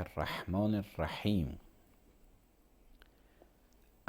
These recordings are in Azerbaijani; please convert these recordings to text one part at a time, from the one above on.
الرحمن الرحیم.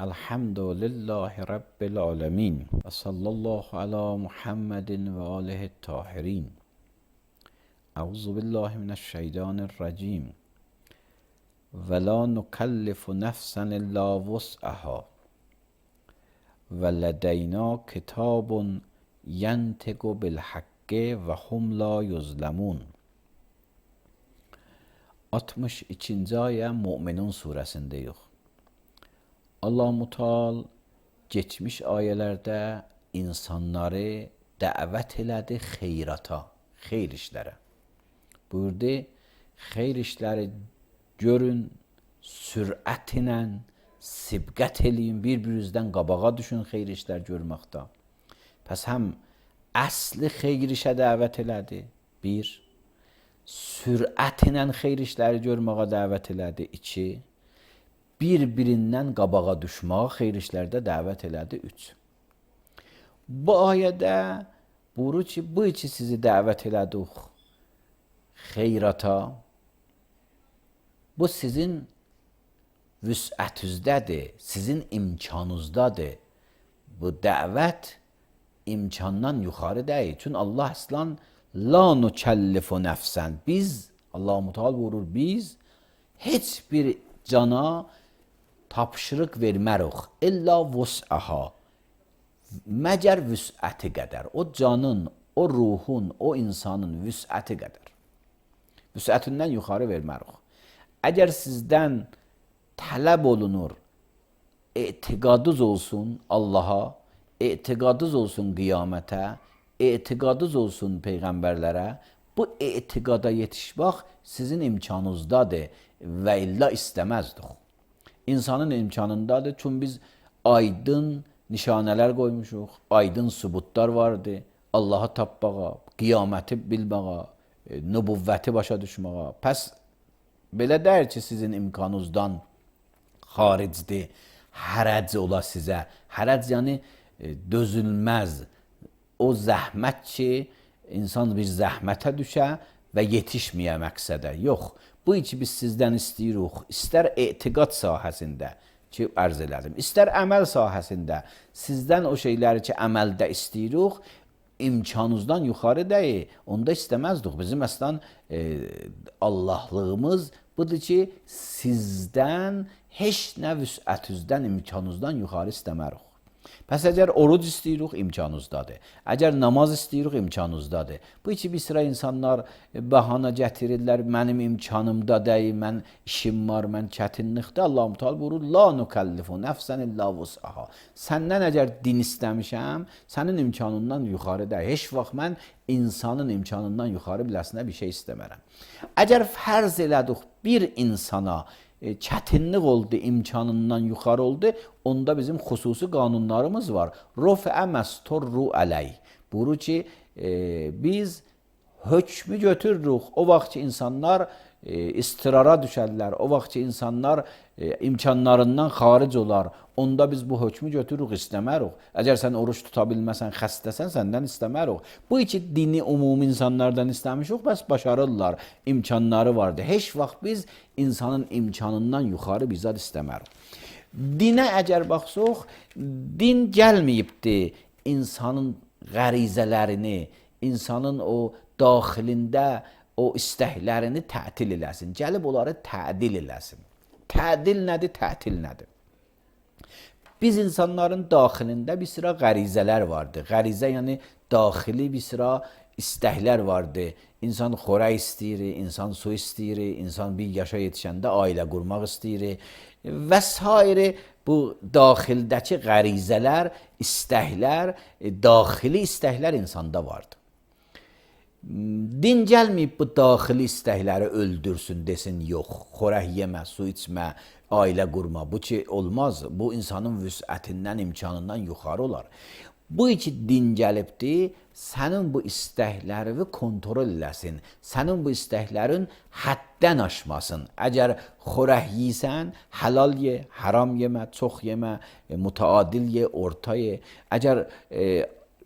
الحمد لله رب العالمین و صلی الله علی محمد و آله الطاهرین. اعوذ بالله من الشیطان الرجیم. ولا نکلف نفسا الا وسعها ولدینا کتاب ینطق بالحق و هم لا یظلمون. 62. aya Müminun suresindeyik. Allah-u Teala geçmiş ayelerde insanları davet elədi xeyrata, xeyr işlərə. Buyurdu, xeyr işləri görün, sürət ilə sibqət eləyin, bir-birinizdən qabağa düşün xeyr işlər görməkdə. Pəs həm əsli xeyr işə dəvət elədi, bir. Sürətlə xeyr işləri görməyə dəvət elədi, 2. Bir-birindən qabağa düşməyə xeyr işlərdə dəvət elədi, 3. Bu ayədə buyurur ki, bu iki sizi dəvət elədik xeyrata. Bu sizin vüsətüzdədir, sizin imkanınızdadır. Bu dəvət imkandan yuxarı deyil. Çünki Allah əslan la nukellifu nefsen. Biz, Allah-u Teala buyurur, biz heç bir cana tapşırıq vermərik. İlla vus'aha. Məgər vüs'əti qədər. O canın, o ruhun, o insanın vüs'əti qədər. Vüs'ətindən yuxarı vermərik. Əgər sizdən tələb olunur, etiqadınız olsun Allaha, etiqadınız olsun qiyamətə, etiqadınız olsun peyğəmbərlərə, bu etiqada yetişmək sizin imkanınızdadır və illa istəməzdik. İnsanın imkanındadır, çünki biz aydın nişanələr qoymuşuq, aydın sübutlar vardır, Allahı tapmağa, qiyaməti bilməyə, nübüvvəti başa düşməyə. Pəs belə deyir ki, sizin imkanınızdan xaricdir, hərəc ola sizə. Hərəc yəni dözülməz. O zəhmət ki, insan bir zəhmətə düşə və yetişməyə məqsədə. Yox, bu iki biz sizdən istəyirik. İstər etiqad sahəsində ki, ərz elədim, istər əməl sahəsində. Sizdən o şeyləri ki, əməldə istəyirik, imkanınızdan yuxarı deyil. Onda istəməzdik. Bizim əslən Allahlığımız budur ki, sizdən heç nə vüsətünüzdən, imkanınızdan yuxarı istəmərik. Pəs əgər oruc istəyirik, imkanınızdadır. Əgər namaz istəyirik, imkanınızdadır. Bu iki bir sıra insanlar bahana gətirirlər, mənim imkanımda deyil, mən işim var, mən çətinlikdə. Allah-u Teala buyurur, la nukellifu nefsen illa vus'aha. Səndən əgər din istəmişəm, sənin imkanından yuxarı deyil. Heç vaxt mən insanın imkanından yuxarı biləsinə bir şey istəmərəm. Əgər fərz elədik bir insana çətinlik oldu, imkanından yuxarı oldu, onda bizim xüsusi qanunlarımız var. Rufə məsturru əleyh. Buyurur ki, biz hökmü götürürük. O vaxt ki, insanlar istirara düşərlər, o vaxt ki, insanlar imkanlarından xaric olar, onda biz bu hökmü götürürük, istəmərik. Əgər sən oruç tuta bilməsən, xəstəsən, səndən istəmərik. Bu iki dini umumi insanlardan istəmişik, bəs başarırlar, imkanları vardır. Heç vaxt biz insanın imkanından yuxarı bir zat istəmərik. Dinə əgər baxsaq, din gəlməyibdir insanın qərizələrini, insanın o daxilində o istəklərini tətil eləsin. Gəlib onları tədil eləsin. Tədil nədir, tətil nədir? Biz insanların daxilində bir sıra qərizələr vardır. Qərizə yəni daxili bir sıra istəklər vardır. İnsan xörək istəyir, insan su istəyir, insan bir yaşa yetişəndə ailə qurmaq istəyir və s. Bu daxildəki qərizələr, istəklər, daxili istəklər insanda vardır. Din gəlməyib bu daxili istəkləri öldürsün, desin, yox, xörək yemə, su içmə, ailə qurma. Bu ki, olmaz. Bu insanın vüsətindən, imkanından yuxarı olar. Bu iki din gəlibdir, sənin bu istəklərini kontrol eləsin, sənin bu istəklərin həddən aşmasın. Əgər xörək yiysən, halal ye, haram yemə, çox yemə, mütəadil ye, orta ye. Əgər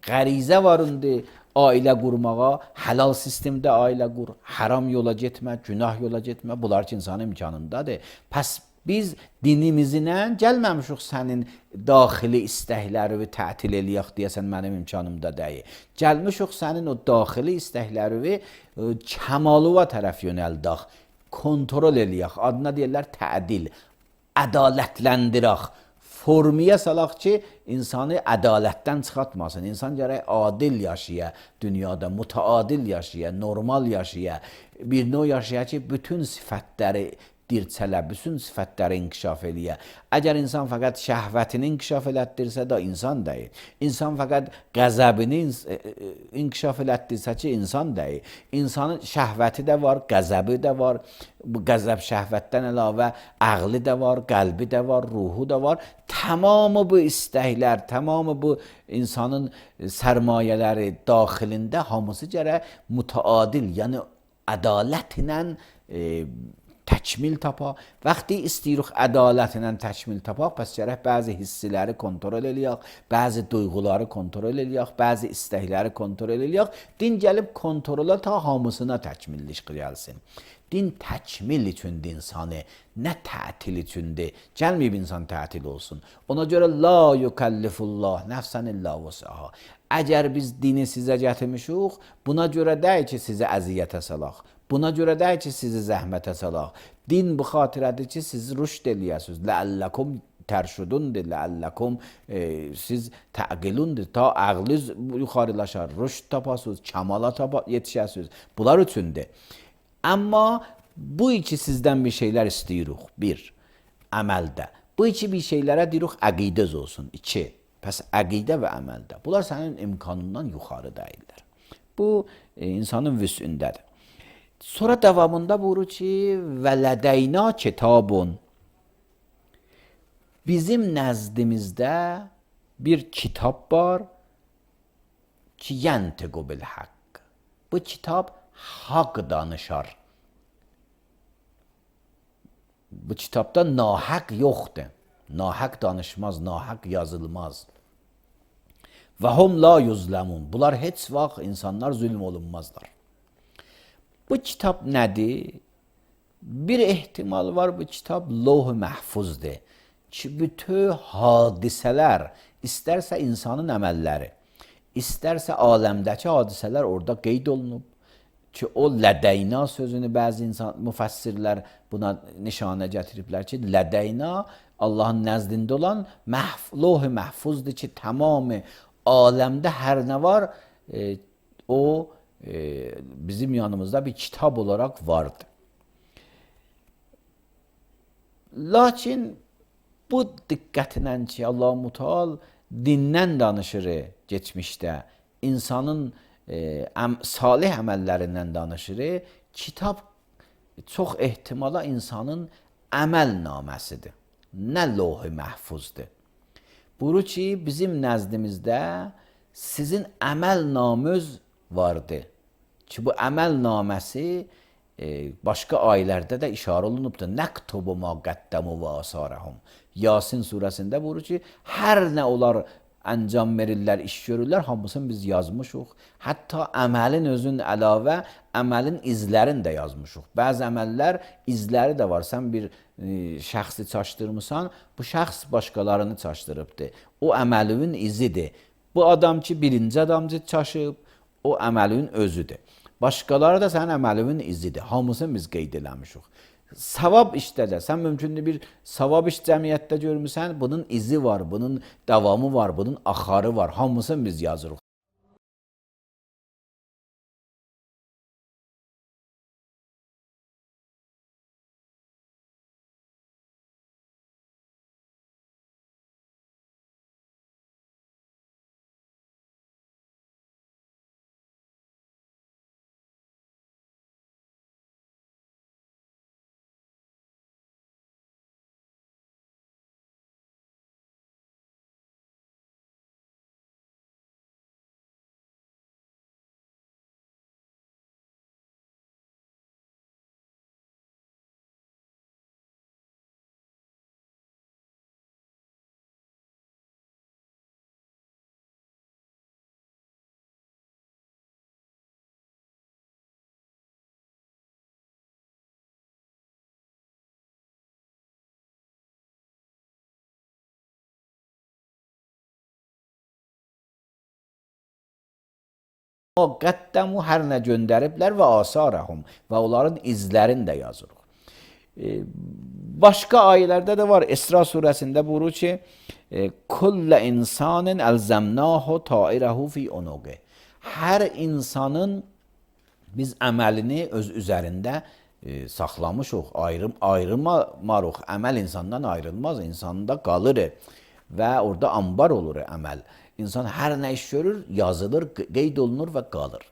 qərizə var indi, ailə qurmağa, halal sistemdə ailə qur, haram yola getmə, günah yola getmə. Bunlar ki, insanın imkanındadır. Pəs biz dinimizlə gəlməmişik sənin daxili istəkləri tətil eləyək deyəsən mənim imkanımda deyil. Gəlmişik sənin o daxili istəkləri kəmalıva tərəf yönəldək, kontrol eləyək. Adına deyirlər tədil, ədalətləndirək. Formiyə salaq ki, insanı ədalətdən çıxartmasın. İnsan gərək adil yaşaya, dünyada mütəadil yaşaya, normal yaşaya, bir növ yaşaya ki, bütün sifətləri dirçələ, bütün sifətləri inkişaf eləyə. Əgər insan fəqət şəhvətini inkişaf elətdirsə də insan deyil. İnsan fəqət qəzəbini inkişaf elətdirsə ki, insan deyil. İnsanın şəhvəti də var, qəzəbi də var. Bu qəzəb şəhvətdən əlavə ağlı da var, qəlbi də var, ruhu da var. Tamamı bu istəklər, tamamı bu insanın sərmayələri daxilində hamısı gərək mütəadil, yəni ədalətlə təkmil tapa. Vaxtı istəyirik ədalətlə təkmil tapaq, pəs gərək bəzi hissiləri kontrol eləyək, bəzi duyğuları kontrol eləyək, bəzi istəkləri kontrol eləyək. Din gəlib kontrola ta hamısına təkmillik gəlsin. Din təkmil üçündür insanı, nə tətil üçündür. Gəlməyib insan tətil olsun. Ona görə la yukəllifullah nəfsən illa vəsəha. Əgər biz dini sizə gətirmişik, buna görə deyil ki, sizi əziyyətə salaq. Buna görə deyil ki, sizi zəhmətə salaq. Din bu xatirədir ki, siz rüşd eləyəsiniz. Ləəlləkum tərşudundur, ləəlləkum siz təqilundur. Ta ağlınız yuxarılaşar, rüşd tapasınız, kamala yetişəsiniz. Bunlar üçündür. Amma bu iki sizdən bir şeylər istəyirik. Bir, əməldə. Bu iki bir şeylərə deyirik, əqidəz olsun. İki, pəs əqidə və əməldə. Bunlar sənin imkanından yuxarı deyirlər. Bu, insanın vüsündədir. Sonra davamında buyurur ki, və lədəyna kitabun. Bizim nəzdimizdə bir kitab var ki, yəntiqu bil haqq. Bu kitab haqq danışar. Bu kitabda nahaq yoxdur. Nahaq danışmaz, nahaq yazılmaz. Və hum la yuzləmun. Bunlar heç vaxt insanlar zülm olunmazlar. Bu kitab nədir? Bir ehtimal var, bu kitab Loh-u Məhfuzdur. Ki, bütün hadisələr, istərsə insanın əməlləri, istərsə aləmdəki hadisələr orada qeyd olunub. Ki, o lədəyna sözünü bəzi müfəssirlər buna nişanə gətiriblər ki, lədəyna Allahın nəzdində olan Loh-u Məhfuzdur ki, tamamı aləmdə hər nə var, o bizim yanımızda bir kitab olarak vardı. Lakin bu diqqətlə ki, Allah-u Teala dindən danışır geçmişdə, insanın salih əməllərindən danışır, kitab çox ehtimala insanın əməl naməsidir. Nə Loh-u Məhfuzdur. Buyurur ki, bizim nəzdimizdə sizin əməl namınız vardı. Ki, bu əməl naməsi başqa ayələrdə də işarə olunubdur. Nəktubu ma qəddəmu və asarəhum. Yasin surəsində buyurur ki, hər nə olar əncam verirlər, iş görürlər, hamısını biz yazmışıq. Hətta əməlin özün əlavə, əməlin izlərini də yazmışıq. Bəzi əməllər izləri də var. Sən bir şəxsi çaşdırmısan, bu şəxs başqalarını çaşdırıbdır. O əməlin izidir. Bu adam ki, birinci adamcı çaşıb, o əməlin özüdür. Başqaları da sənin əməlinin izidir. Hamısını biz qeyd eləmişik. Savab işdə də, sən mümkündür bir savab iş cəmiyyətdə görmüsən, bunun izi var, bunun davamı var, bunun axarı var. Hamısını biz yazırıq. Qəddamu hər nə göndəriblər və asarəhum və onların izlərini də yazırıq. Başqa ayələrdə də var. İsra surəsində buyurur ki, kullə insanın əlzəmnahu tairəhu fi unuqi. Hər insanın biz əməlini öz üzərində saxlamışıq, ayrılmarıq. Əməl insandan ayrılmaz, insanda qalır və orada ambar olur əməl. İnsan hər nə iş görür, yazılır, qeyd olunur və qalır.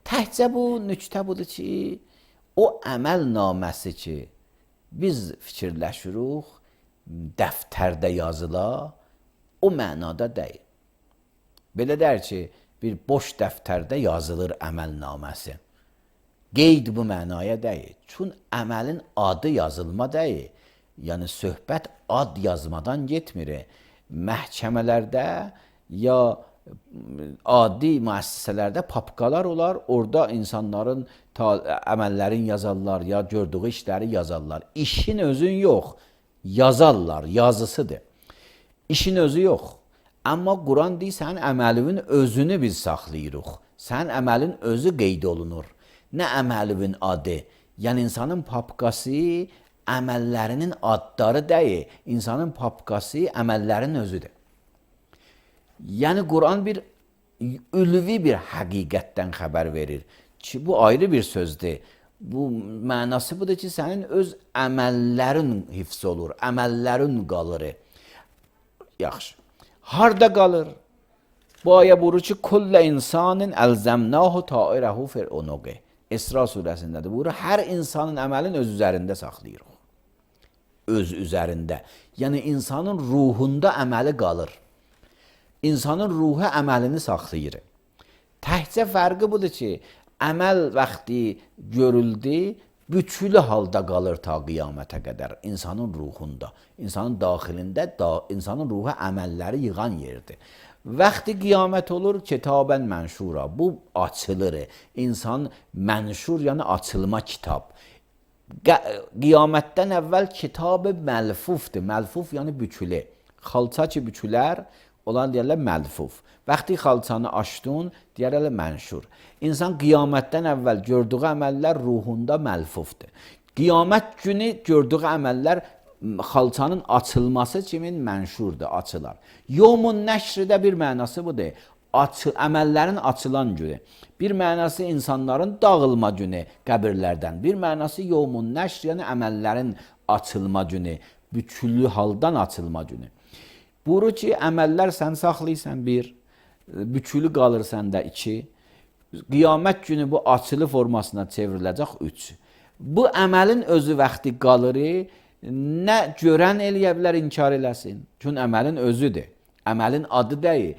Təhcə bu nüktə budur ki, o əməl naməsi ki, biz fikirləşirik, dəftərdə yazıla, o mənada deyil. Belə dər ki, bir boş dəftərdə yazılır əməl naməsi. Qeyd bu mənaya deyil. Çün əməlin adı yazılma deyil. Yəni, söhbət ad yazmadan getmir. Məhkəmələrdə ya adi müəssisələrdə papkalar olar, orada insanların əməllərin yazarlar, ya gördüyü işləri yazarlar. İşin özün yox, yazarlar, yazısıdır. İşin özü yox. Amma Quran deyir, sənin əməlinin özünü biz saxlayırıq. Sənin əməlin özü qeyd olunur. Nə əməlinin adı? Yəni, insanın papkası əməllərinin adları deyil, insanın papkası əməllərin özüdür. Yəni, Quran bir ülvi bir həqiqətdən xəbər verir ki, bu ayrı bir sözdür. Bu mənası budur ki, sənin öz əməllərin hifz olur, əməllərin qalır. Yaxşı. Harda qalır? Bu ayə buyurur ki, kullə insanın əlzəmnahu tairəhu fil unuqi. İsra surəsindədir. Buyurur, hər insanın əməlin öz üzərində saxlayırıq. Öz üzərində. Yəni, insanın ruhunda əməli qalır. İnsanın ruhu əməlini saxlayır. Təhcə fərqi budur ki, əməl vaxtı görüldü, bütülü halda qalır ta qiyamətə qədər insanın ruhunda, insanın daxilində, insanın ruhu əməlləri yığan yerdir. Vaxtı qiyamət olur, kitabən mənşura, bu açılır. İnsan mənşur, yəni açılma kitab. Qiyamətdən əvvəl kitab-ı məlfufdur. Məlfuf yəni bükülü. Xalça ki bükülər, olan deyərlər məlfuf. Vaxtı xalçanı açdın, deyərlər mənşur. İnsan qiyamətdən əvvəl gördüyü əməllər ruhunda məlfufdur. Qiyamət günü gördüyü əməllər xalçanın açılması kimin mənşurdur, açılar. Yevmun nəşrdə bir mənası budur. Əməllərin açılan günü. Bir mənası insanların dağılma günü qəbirlərdən. Bir mənası yevmun nəşr, yəni əməllərin açılma günü. Bütüllü haldan açılma günü. Buyurur ki, əməllər sən saxlayırsan bir, bütülü qalır səndə iki. Qiyamət günü bu açılı formasına çevriləcək üç. Bu əməlin özü vaxtı qalır, nə görən eləyə bilər, inkar eləsin. Çünki əməlin özüdür. Əməlin adı deyil.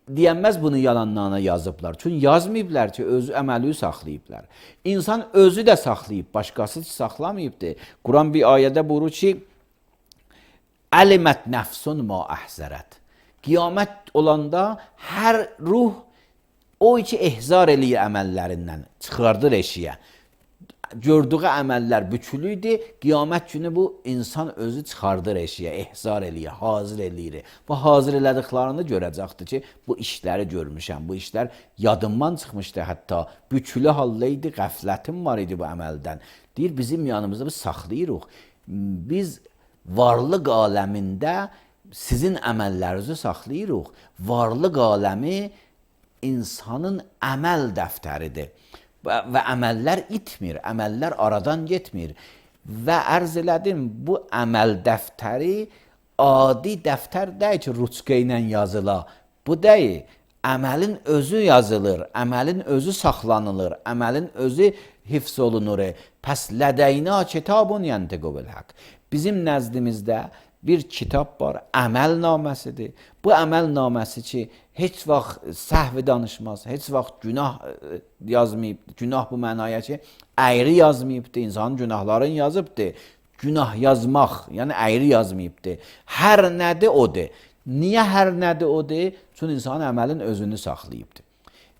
Deyənməz bunu yalanlarına yazıblar. Çünki yazmayıblar ki, özü əməli saxlayıblar. İnsan özü də saxlayıb, başqası saxlamayıbdır. Quran bir ayədə buyurur ki, Əlimət nəfsun ma əhzərət. Qiyamət olanda hər ruh o ki, ehzar eləyir əməllərindən, çıxardır eşiyə. Gördüyü əməllər bükülüydü, qiyamət günü bu insan özü çıxardır eşiyə, ehzar eləyir, hazır eləyir. Bu hazır elədiklərini görəcəkdir ki, bu işləri görmüşəm, bu işlər yadımdan çıxmışdı hətta, bükülü haldaydı, qəflətim var idi bu əməldən. Deyir, bizim yanımızda biz saxlayırıq. Biz varlıq aləmində sizin əməllərinizi saxlayırıq. Varlıq aləmi insanın əməl dəftəridir. Və əməllər itmir, əməllər aradan getmir. Və ərz elədim, bu əməl dəftəri adi dəftər deyil ki, ruçqa ilə yazıla. Bu deyil, əməlin özü yazılır, əməlin özü saxlanılır, əməlin özü hifz olunur. Pəs lədəynə kitabun yəntiqu bil haqq. Bizim nəzdimizdə bir kitab var, əməl naməsidir. Bu əməl naməsi ki, heç vaxt səhvi danışmaz, heç vaxt günah yazmayıb. Günah bu mənaya ki, əyri yazmayıbdır, insanın günahlarını yazıbdır. Günah yazmaq, yəni əyri yazmayıbdır. Hər nədir odur. Niyə hər nədir odur? Çünki insanın əməlin özünü saxlayıbdır.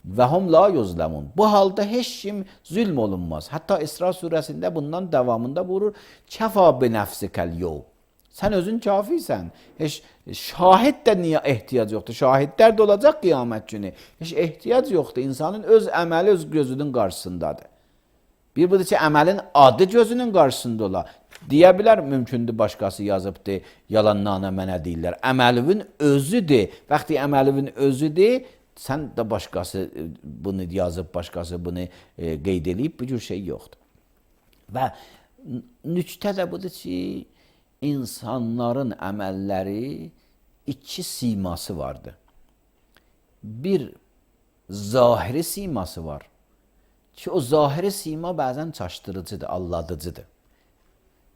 Və hum la yuzlamun. Bu halda heç kim zülm olunmaz. Hətta İsra surəsində bundan davamında buyurur, kəfa bi nəfsikəl yov. Sən özün kafisən. Heç şahid də niyə ehtiyac yoxdur? Şahidlər də olacaq qiyamət günü. Heç ehtiyac yoxdur. İnsanın öz əməli öz gözünün qarşısındadır. Bir budur ki, əməlin adı gözünün qarşısında ola. Deyə bilər, mümkündür başqası yazıbdır, yalanlarına mənə deyirlər. Əməlivin özüdür. Vaxtı əməlivin özüdür, sən də başqası bunu yazıb, başqası bunu qeyd edib, bu cür şey yoxdur. Və nüktə də budur ki, insanların əməlləri iki siması vardır. Bir zahiri siması var ki, o zahiri sima bəzən çaşdırıcıdır, alladıcıdır.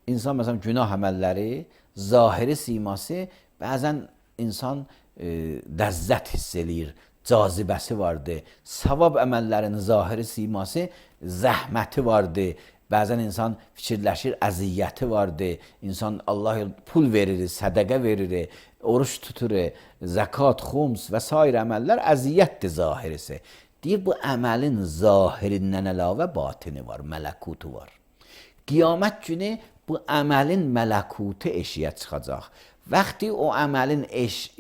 İnsan məsələn günah əməlləri, zahiri siması bəzən insan ləzzət hiss eləyir, cazibəsi vardır. Savab əməllərinin zahiri siması zəhməti vardır. Bəzən insan fikirləşir, əziyyəti vardır. İnsan Allah pul verir, sədəqə verir, oruç tutur, zəkat, xums və s. əməllər əziyyətdir zahirisi. Deyir, bu əməlin zahirindən əlavə batini var, mələkutu var. Qiyamət günü bu əməlin mələkutu eşiyə çıxacaq. Vaxtı o əməlin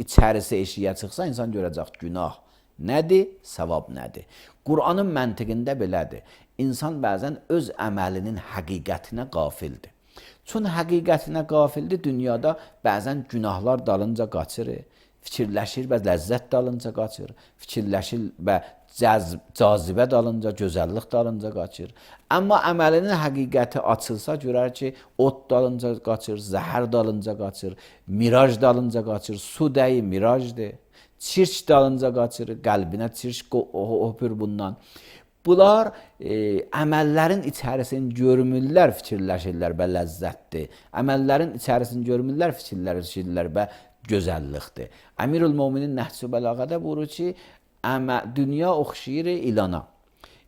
içərisi eşiyə çıxsa, insan görəcək günah nədir, savab nədir. Qur'anın məntiqində belədir. İnsan bəzən öz əməlinin həqiqətinə qafildir. Çün həqiqətinə qafildir, dünyada bəzən günahlar dalınca qaçır, fikirləşir və ləzzət dalınca qaçır, fikirləşir və cazibə dalınca, gözəllik dalınca qaçır. Amma əməlinin həqiqəti açılsa, görər ki, ot dalınca qaçır, zəhər dalınca qaçır, miraj dalınca qaçır, su dəyi mirajdır, çirk dalınca qaçır, qəlbinə çirk öpür bundan. Bunlar əməllərin içərisini görmürlər, fikirləşirlər və ləzzətdir. Əməllərin içərisini görmürlər, fikirləşirlər və gözəllikdir. Əmirül-Möminin Nəhcü Bəlağədə buyurur ki, dünya oxşayır ilana.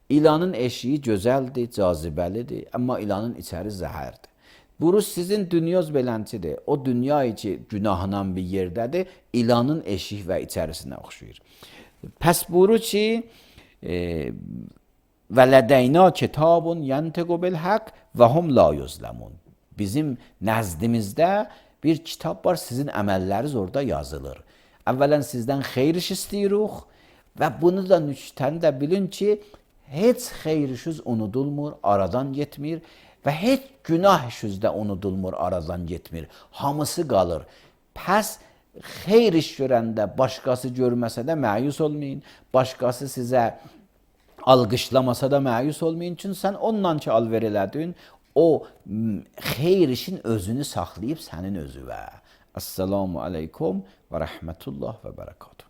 İlanın eşiyi gözəldir, cazibəlidir, amma ilanın içəri zəhərdir. Buyurur, sizin dünyoz belənçidir. O dünya ki, günahla bir yerdədir, ilanın eşiyi və içərisinə oxşayır. Pəs buyurur ki, və lədəyna kitabun yəntiqu bilhəq və hum la yuzləmun. Bizim nəzdimizdə bir kitab var, sizin əməlləriniz orada yazılır. Əvvələn sizdən xeyr iş istəyirik və bunu da nüktəni də bilin ki, heç xeyr işiniz unudulmur, aradan getmir və heç günah işiniz də unudulmur, aradan getmir. Hamısı qalır. Pəs xeyr iş görəndə başqası görməsə də məyus olmayın, başqası sizə alqışlamasa da məyus olmayın. Çünki sən onunla ki alver elədin, o xeyr işin özünü saxlayıb sənin özüvə. Assalamu aleykum və rəhmətullah və bərəkatuhu.